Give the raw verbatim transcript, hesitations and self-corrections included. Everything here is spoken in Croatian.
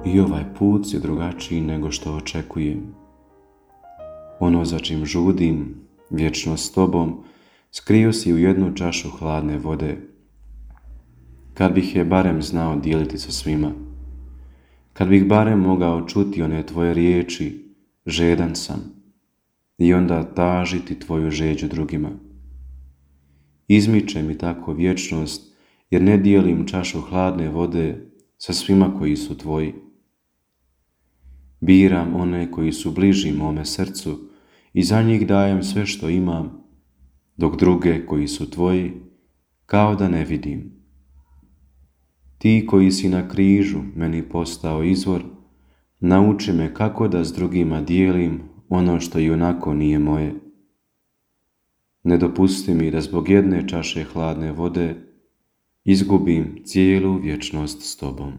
I ovaj put je drugačiji nego što očekujem. Ono za čim žudim, vječno s tobom, skrio si u jednu čašu hladne vode. Kad bih je barem znao dijeliti sa svima, kad bih barem mogao čuti one tvoje riječi, žedan sam, i onda tažiti tvoju žeđu drugima. Izmiče mi tako vječnost, jer ne dijelim čašu hladne vode sa svima koji su tvoji. Biram one koji su bliži mome srcu i za njih dajem sve što imam, dok druge koji su tvoji kao da ne vidim. Ti koji si na križu meni postao izvor, nauči me kako da s drugima dijelim ono što i onako nije moje. Ne dopusti mi da zbog jedne čaše hladne vode izgubim cijelu vječnost s tobom.